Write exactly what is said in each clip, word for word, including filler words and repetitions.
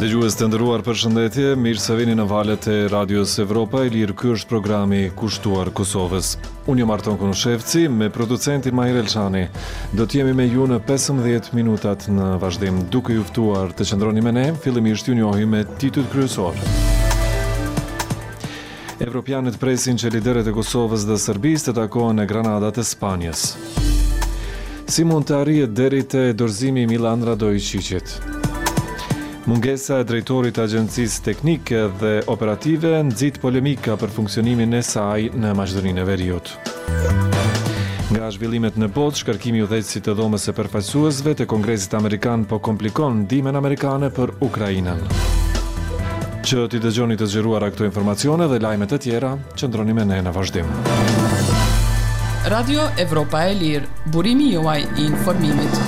Dëgjues të nderuar, përshëndetje, mirë se vini në valët e Radios Evropa e Lirë. Ky është programi kushtuar Kosovës. Unë jam Arton Konushevci, me producentin Mahir Elshani. Do të jemi me ju në pesëmbëdhjetë minutat në vazhdim, duke ju ftuar të qëndroni me ne, fillimisht ju njohim me titujt kryesor. Evropianët presin që liderët e Kosovës dhe Serbisë të takohen në Granada të Spanjës. Si mund të arrihet deri te dorëzimi i Milan Radoiçiqit? Mungesa e drejtorit të Agjencisë Teknike dhe Operative nxit polemika për funksionimin e saj në Maqedoninë e Veriut. Nga zhvillimet në botë, shkarkimi i udhëheqësit të Dhomës së Përfaqësuesve të Kongresit Amerikan po komplikon ndihmën amerikane për Ukrainën. Që t'i dëgjoni të zgjeruara këto informacione dhe lajme të tjera, qëndroni me ne në vazhdim. Radio Evropa e Lirë, burimi juaj i informimit.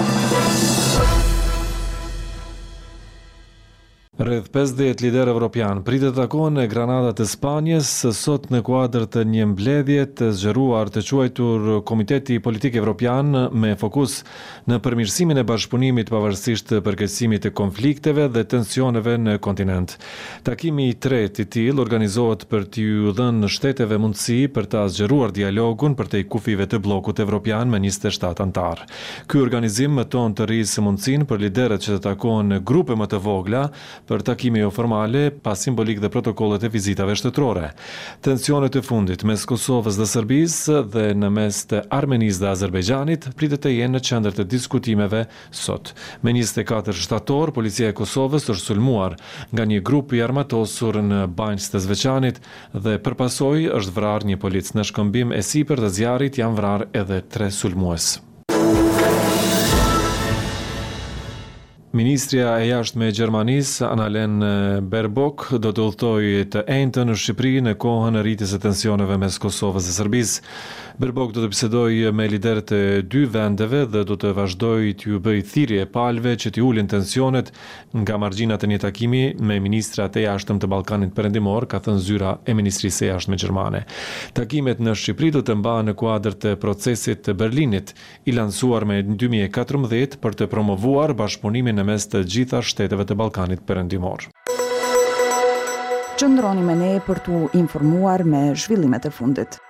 Rreth pesëdhjetë liderë evropian pritet të takohen në Granada të Spanjës sot në kuadër të një mbledhje të zgjeruar të quajtur Komiteti Politik Evropian me fokus në përmirësimin e bashkëpunimit pavarësisht përkeqësimit të konflikteve dhe tensioneve në kontinent. Takimi i tretë i tillë organizohet për t'iu dhënë shteteve mundësi për ta zgjeruar dialogun përtej kufijve të bllokut evropian me njëzet e shtatë anëtarë. Ky organizim mëton të rrisë mundësinë për liderët që të takohen në grupe më të vogla për takime joformale, pa simbolik dhe protokollet e vizitave shtetërore. Tensionet e fundit mes Kosovës dhe Serbisë dhe në mes të Armenisë dhe Azerbajxhanit pritet të jenë në qendër të diskutimeve sot. Me njëzet e katër shtator, policia e Kosovës është sulmuar nga një grup i armatosur në Banjskë të Zveçanit dhe për pasojë është vrarë një polic. Në shkëmbim e sipër të zjarrit janë vrarë edhe tre sulmues. Ministrja e Jashtme e Gjermanisë, Annalena Baerbock, do të udhëtojë të enjten në Shqipëri në kohën e rritjes së tensioneve mes Kosovës dhe Serbisë. Baerbock do të bisedojë me liderët e dy vendeve dhe do të vazhdojë t'ju bëjë thirrje palëve që t'i ulin tensionet nga margjinat e një takimi me ministrat e jashtëm të Ballkanit Perëndimor, ka thënë zyra e Ministrisë së Jashtme gjermane. Takimet në Shqipëri do të mbahen në kuadër të procesit të Berlinit, i lansuar me dy mijë e katërmbëdhjetë për të promovuar bashkëpunimin në mes të gjitha shteteve të Ballkanit Perëndimor. Qëndroni me ne për t'u informuar me zhvillimet e fundit.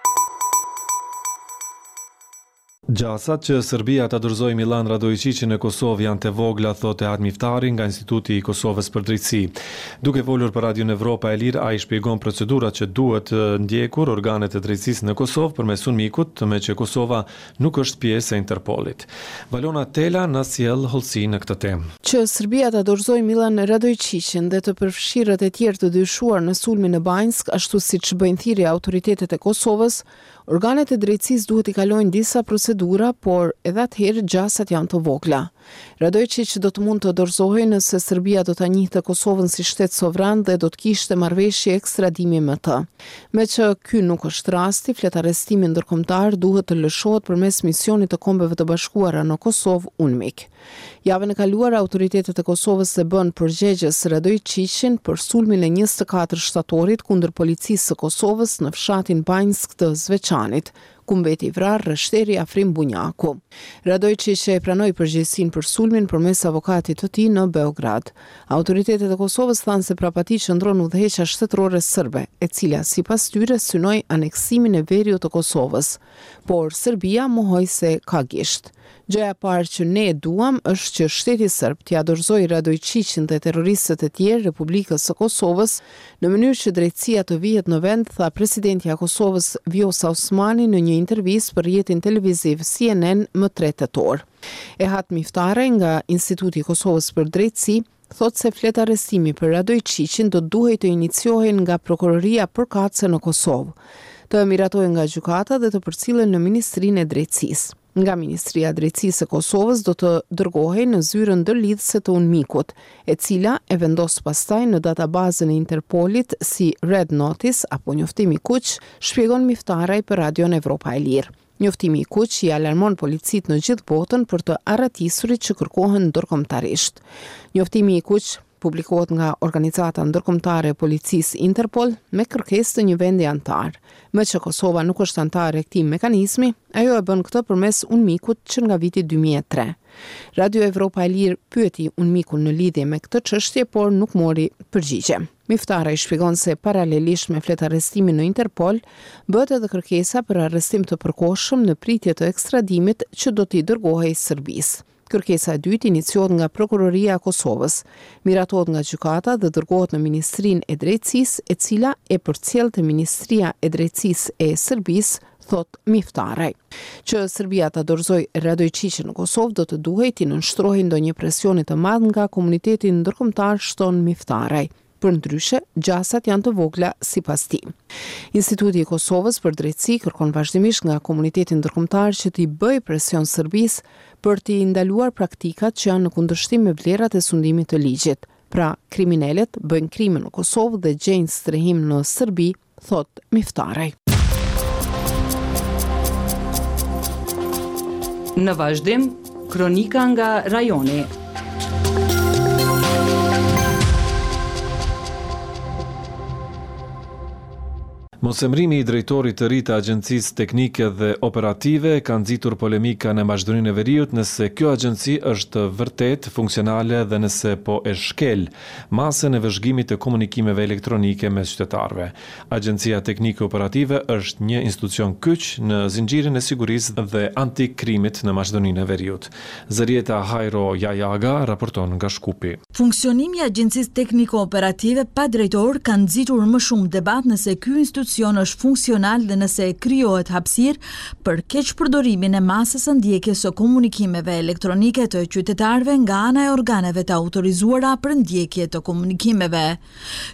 Gjasat që Serbia ta dorëzojë Milan Radoiçiqin në Kosovë janë të vogla, thotë Ehat Miftari nga Instituti i Kosovës për Drejtësi. Duke folur për Radion Evropa e Lirë, ai shpjegon procedurat që duhet ndjekur organet e drejtësisë në Kosovë përmes UNMIK-ut, me që Kosova nuk është pjesë e Interpolit. Valona Tela na sjell hollësi në këtë temë. Që Serbia ta dorëzojë Milan Radoiçiqin dhe të përfshirët e tjerë të dyshuar në sulmin në Banjskë, ashtu siç bëjnë thirrje autoritetet e Kosovës, organet e drejtësisë duhet i kalojnë disa procedura, por edhe atëherë gjasat janë të vogla. Radoiçiq do të mund të dorëzohej nëse Serbia do ta njihte Kosovën si shtet sovran dhe do të kishte marrëveshje ekstradimi me të. Me që ky nuk është rasti, fletarrestimi ndërkombëtar duhet të lëshohet përmes misionit të Kombeve të Bashkuara në Kosovë, UNMIK. Javën e kaluar, autoritetet e Kosovës e bën përgjegjës Radoiçiqin për sulmin e njëzet e katër shtatorit kundër policisë së Kosovës në fshatin Banjskë të Zveçanit, ku mbeti i vrarë rreshteri Afrim Bunjaku. Radoiçiq e pranoi përgjegjësinë për sulmin përmes avokatit të tij në Beograd. Autoritetet e Kosovës thanë se prapa tij qëndron udhëheqja shtetërore serbe, e cila sipas tyre synoi aneksimin e veriut të Kosovës, por Serbia mohoi se ka gisht. Gjëja e parë që ne duam është që shteti serb t'ia dorëzojë Radoiçiqin dhe terroristët e tjerë Republikës së Kosovës në mënyrë që drejtësia të vihet në vend, tha presidentja e Kosovës Vjosa Osmani në një intervistë për rrjetin televiziv C N N më tre tetor. Ehat Miftaraj nga Instituti i Kosovës për Drejtësi thotë se flet arrestimi për Radoiçiqin do duhej të iniciohej nga prokuroria përkatëse në Kosovë, të miratohej nga gjykata dhe të përcillen në Ministrinë e Drejtësisë. Nga Ministria e Drejtësisë e Kosovës do të dërgohej në zyrën ndërlidhëse të UNMIK-ut, e cila e vendos pastaj në databazën e Interpolit si Red Notice apo njoftimi i kuq, shpjegon Miftaraj për Radion Evropa e Lirë. Njoftimi i kuq i alarmon policitë në gjithë botën për të arratisurit që kërkohen ndërkombëtarisht. Njoftimi i kuq Publikohet nga Organizata Ndërkombëtare e Policisë Interpol me kërkesë të një vendi anëtar. Meqë Kosova nuk është anëtare e këtij mekanizmi, ajo e bën këtë përmes UNMIK-ut që nga viti dy mijë e tre. Radio Evropa e Lirë pyeti UNMIK-un në lidhje me këtë çështje, por nuk mori përgjigje. Miftaraj shpjegon se paralelisht me fletarrestimin në Interpol, bëhet edhe kërkesa për arrestim të përkohshëm në pritje të ekstradimit që do t'i dërgohej Serbisë. Kërkesa e dytë iniciohet nga Prokuroria e Kosovës, miratohet nga gjykata dhe dërgohet në Ministrinë e Drejtësisë, e cila e përcjell te Ministria e Drejtësisë e Serbisë, thot Miftaraj. Që Serbia ta dorëzojë Radoiçiqin në Kosovë do të duhej t'i nënshtrohej ndonjë presioni të madh nga komuniteti ndërkombëtar, shton Miftaraj. Përndryshe, gjasat janë të vogla sipas tij. Instituti i Kosovës për Drejtësi kërkon vazhdimisht nga komuniteti ndërkombëtar që t'i bëjë presion Serbisë për t'i ndaluar praktikat që janë në kundërshtim me vlerat e sundimit të ligjit. Pra, kriminelët bëjnë krime në Kosovë dhe gjejnë strehim në Serbi, thot Miftaraj. Në vazhdim, kronika nga rajoni. Mosemrimi i drejtorit të ri të Agjencisë Teknike dhe Operative ka nxitur polemika në Maqedoninë e Veriut nëse kjo agjenci është vërtet funksionale dhe nëse po e shkel masën e vëzhgimit të komunikimeve elektronike mes qytetarëve. Agjencia Teknike Operative është një institucion kyç në zinxhirin e sigurisë dhe antikrimit në Maqedoninë e Veriut. Zërieta Hajro Jajaga raporton nga Shkupi. Funksionimi i Agjencisë Tekniko Operative pa drejtor ka nxitur më shumë debat nëse ky institucion është funksional dhe nëse krijohet hapësirë për keqpërdorimin e masës së ndjekjes së komunikimeve elektronike të qytetarëve nga ana e organeve të autorizuara për ndjekje të komunikimeve.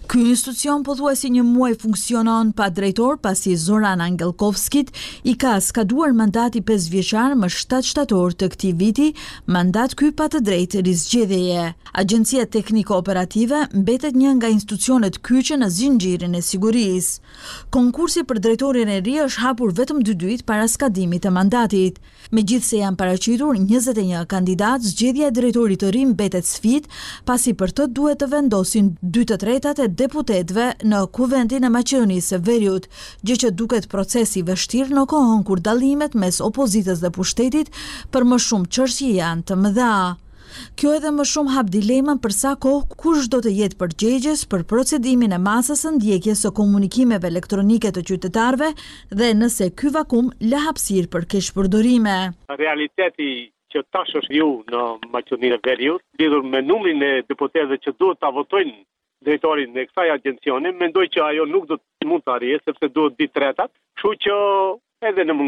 Ky institucion pothuajse një muaj funksionon pa drejtor, pasi Zoran Angelkovskit i ka skaduar mandati pesë vjeçar më shtatë shtator të këtij viti, mandat ky pa të drejtë rizgjedhjeje. Agjencia Tekniko Operative mbetet një nga institucionet kyçe në zinxhirin e sigurisë. Konkursi për drejtorin e ri është hapur vetëm dy ditë para skadimit të mandatit. Megjithëse janë paraqitur njëzet e një kandidat, zgjedhja e drejtorit të ri mbetet sfidë, pasi për të duhet të vendosin dy të tretat e deputetëve në Kuvendin e Maqedonisë së Veriut, gjë që duket proces i vështirë në kohën kur dallimet mes opozitës dhe pushtetit për më shumë çështje janë të mëdha. Kjo edhe më shumë hap dilemën për sa kohë kush do të jetë përgjegjës për procedimin e masës së ndjekjes së komunikimeve elektronike të qytetarëve dhe nëse ky vakum lë hapësirë për keqpërdorime. Realiteti që tash është ju në Maqedoninë e Veriut, lidhur me numrin e deputetëve që duhet ta votojnë drejtorin e kësaj agjencioni, mendoj që ajo nuk do të mund të arrijë sepse duhet dy tretat, kështu që edhe në